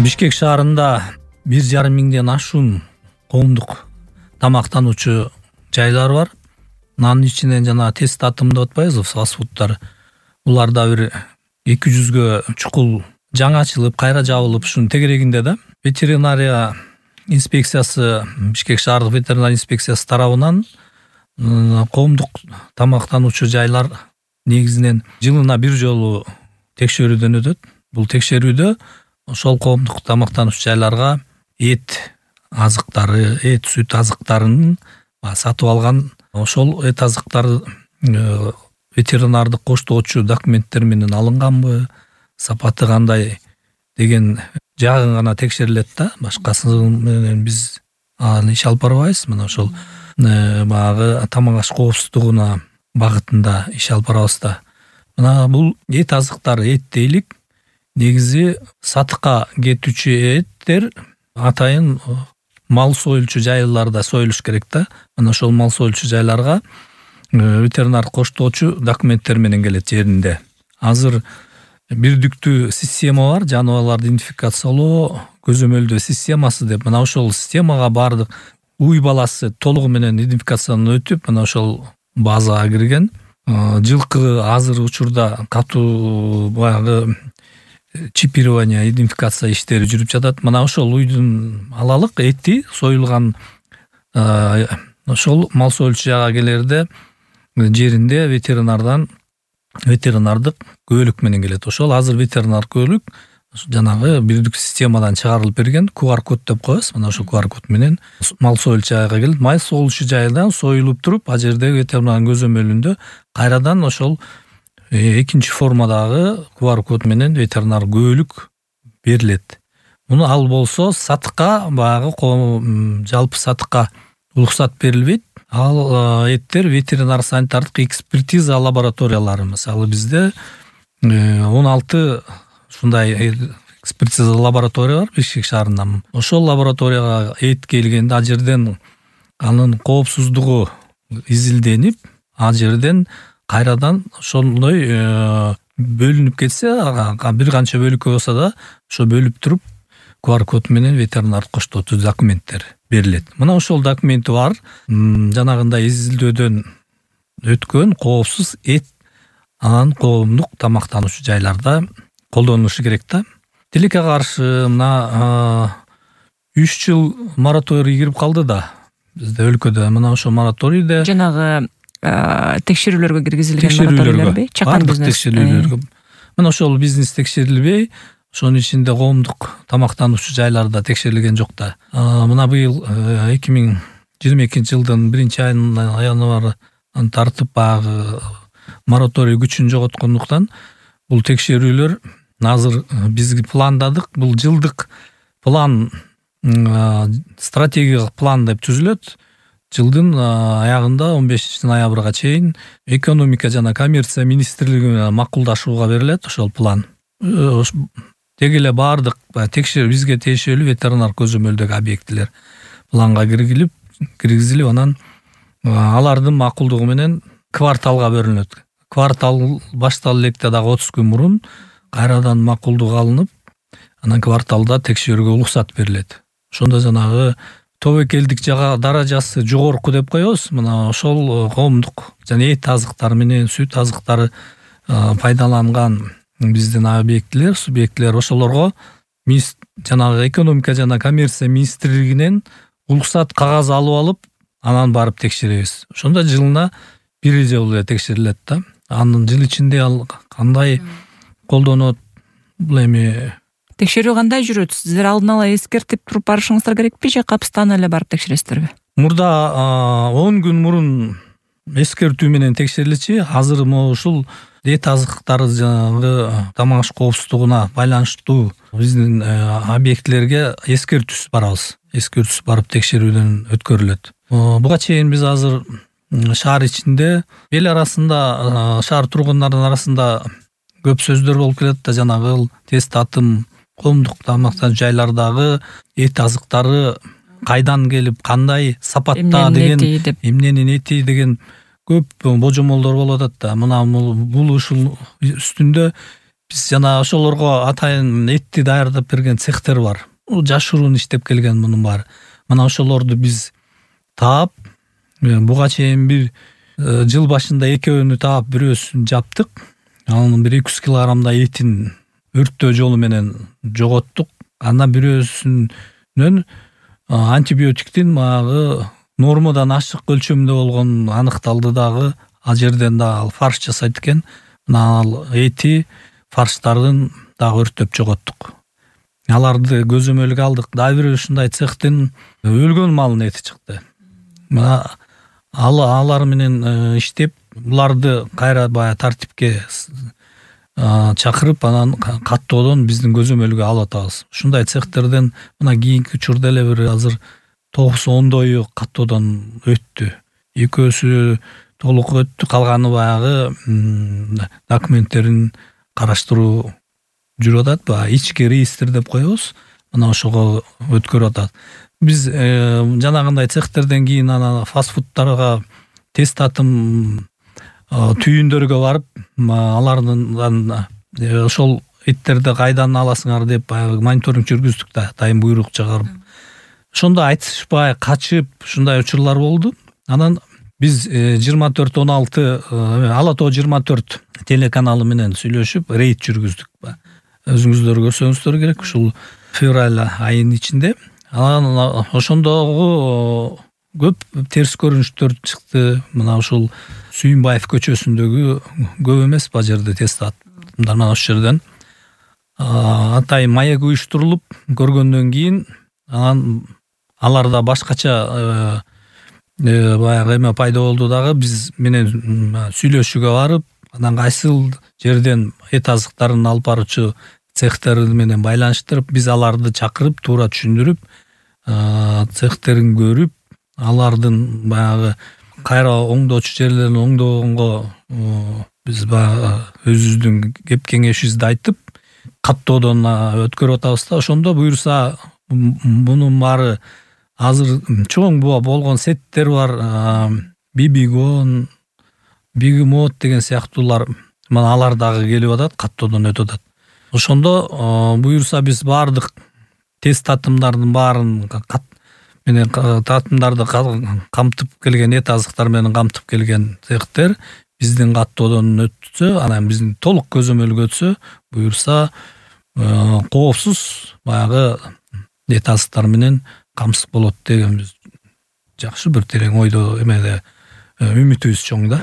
Бишкек шаарында 1,5 миңден ашуун коомдук тамактануучу жайлар бар. Анын ичинен жана тест атым деп атпайбызбы, фастфудтар. Буларда бир 200гө чукул жаңы ачылып, кайра жабылып, ушунун тегерегинде да ветеринария инспекциясы, Бишкек шаардык ветеринария инспекциясы тарабынан коомдук тамактануучу жайлар негизинен жылына бир жолу текшерүүдөн өтөт. Бул текшерүүдө ошол коомдук тамактануучу жайларга эт азыктары, эт сүт азыктарын сатып алган, ошол эт азыктары ветеринардык коштоочу документтер менен алынганбы, сапаты кандай деген жагын гана текшерилет да. Башкасы менен биз иш алып барбайбыз. Мына ошол баягы тамак аш коопсуздугуна багытында иш алып барабыз да. Мына бул эт азыктары, эт дейлик, негизи сатыкка кетүүчү эттер атайын мал союлчу жайларда союлуш керек да. Мына ошол мал союлчу жайларга ветеринар коштоочу документтер менен келет жеринде. Азыр бирдиктүү система бар, жаныбарларды идентификациялоо көзөмөлдөө системасы деп. Мына ошол системага бардык уй баласы толугу менен идентификациядан өтүп, мына ошол базага кирген. Жылкы азыр учурда катуу баягы чипирование, идентификация иштери жүрүп жатат. Мына ошол уйдун алалык эти союлган ошол мал союлчу жайга келерде жеринде ветеринардык көөлүк менен келет. Ошол азыр ветеринар көөлүк жанагы бирдиктүү системадан чыгарылып берген, QR код деп коебуз. Мына ошол QR код менен мал союлчу жайга келип, мал союлчу жайдан союлуп туруп, а жердеги ветеринардын көзөмөлүндө кайрадан ошол экинчи формадагы QR код менен ветеринар көөлүк берилет. Муну ал болсо сатыкка, баягы жалпы сатыкка уруксат берилбейт. Ал эттер ветеринар санитардык экспертиза лабораториялары, мисалы бизде 16 ушундай экспертиза лаборатория бар Бишкек шаарында. Ошол лабораторияга эт келгенде ал жерден анын коопсуздугу изилденип, ал жерден кайрадан ошондой бөлүнүп кетсе, бир канча бөлүккө болсо да, ошо бөлүп туруп QR код менен ветеринар коштоочу документтер берилет. Мына ошол документи бар, жанагындай изилдөөдөн өткөн коопсуз эт анан коомдук тамактануучу жайларда колдонулушу керек да. Тилекке каршы мына 3 жыл мораторий кирип калды да бизде өлкөдө. Мына ошол мораторийде жанагы текшерүүлөргө киргизилген мораторийлерби? Чакан бизнес. Мына ошол бизнес текшерилбей, ошонун ичинде коомдук тамактануучу жайларда текшерилген жок да. Мына быйыл 2022-жылдын 1-айынын январынан тартып баягы мораторий күчүн жоготкондуктан бул текшерүүлөр азыр биз пландадык. Бул жылдык план, стратегиялык план деп түзүлөт. Жылдын аягында 15-ноябрга чейин экономика жана коммерция министрлиги менен макулдашууга берилет ошол план. Теги эле бардык текшерүү бизге тиешелүү ветеринар көзөмөлдөгү объектилер планга киргизилип, анан алардын макулдугу менен кварталга бөлүнөт. Квартал башталып электе дагы 30 күн мурун кайрадан макулдук алынып, анан кварталда текшерүүгө уруксат берилет. Ошондо жанагы тобокелдик даражасы жогорку деп коебуз. Мына ошол коомдук жана эт азыктары менен сүт азыктары пайдаланган биздин объектилер, субъектилер, ошолорго жанагы экономика жана коммерция министрлигинен уруксат кагаз алып алып, анан барып текшеребиз. Ошондо жылына бир жолу эле текшерилет да. Анын жыл ичинде ал кандай колдонот, бул эми текшерүү кандай жүрөт? Сиздер алдын ала эскертип туруп барышыңыздар керекпи же капыстан эле барып текшересиздерби? Мурда 10 күн мурун эскертүү менен текшерилчи. Азыр ушул эт азыктары жанагы тамак аш коопсуздугуна байланыштуу биздин объектилерге эскертүүсүз барабыз. Эскертүүсүз барып текшерүүдөн өткөрүлөт. Буга чейин биз азыр шаар ичинде эл арасында, шаар тургундарынын арасында көп сөздөр болуп келет да, жанагы тест атым коомдук тамактануучу жайлардагы эт азыктары кайдан келип, кандай сапатта деген, эмненин эти деген көп божомолдор болуп атат да. Мына бул ушул үстүндө биз жана ошолорго атайын этти даярдап берген цехтер бар. Жашыруун иштеп келген мунун баары. Мына ошолорду биз таап, буга чейин бир жыл башында экөөнү таап бирөөсүн жаптык. Анын 1-200 килограммдай этин өрттөө жолу менен жоготтук. Андан бирөөсүнөн антибиотиктин баягы нормадан ашык өлчөмдө болгон аныкталды дагы. Ал жерден да ал фарш жасайт экен. Мына ал эти фарштарын дагы өрттөп жоготтук. Аларды көзөмөлгө алдык. Дагы бир ушундай цехтин өлгөн малынын эти чыкты. Мына алар менен иштеп, буларды кайра баягы тартипке чакырып, анан каттоодон биздин көзөмөлгө алып атабыз. Ушундай цехтерден мына кийинки учурда эле бир азыр 9-10дою каттоодон өттү. Экөөсү толук өттү, калганы баягы документтерин караштыруу жүрүп атат. Баягы ички реестр деп коебуз. Мына ошого өткөрүп атат. Биз жанагындай цехтерден кийин ана фастфудтарга тест татым түйүндөргө барып, алардын ошол эттерди кайдан аласыңар деп баягы мониторинг жүргүздүк да, дайым буйрук чыгарып. Ошондо айтышпай качып ушундай учурлар болду. Анан биз 24-16 Ала Тоо 24 телеканалы менен сүйлөшүп рейд жүргүздүк. Өзүңүздөр көрсөңүздөр керек, ушул февраль айынын ичинде. Анан ошондогу көп терс көрүнүштөр чыкты. Мына ушул Сүйүнбаев көчөсүндөгү көп эмес ба жерде тест аттымдар. Мына ошол жерден атайын маек уюштурулуп көргөндөн кийин анан аларда башкача баягы эме пайда болду дагы. Биз менен сүйлөшүүгө барып, анан кайсыл жерден эт азыктарын алып баруучу цехтер менен байланыштырып, биз аларды чакырып, туура түшүндүрүп, цехтерин көрүп, алардын баягы кайра оңдоочу жерлерин оңдогонго биз баягы өзүбүздүн кеп кеңешибизди айтып, каттоодон өткөрүп атабыз да. Ошондо буюрса мунун баары азыр чоң болгон сеттер бар. Бибигон, Бигмот деген сыяктуулар, мына алар дагы келип атат, каттоодон өтүп атат. Ошондо буюрса биз баардык тест татымдардын баарын менен татымдарды камтып келген, эт азыктар менен камтып келген цехтер биздин каттоодон өтсө, анан биздин толук көзөмөлгө өтсө, буюрса коопсуз баягы эт азыктар менен камсыз болот деген биз жакшы бир терең ойдо эмеде үмүтүбүз чоң да.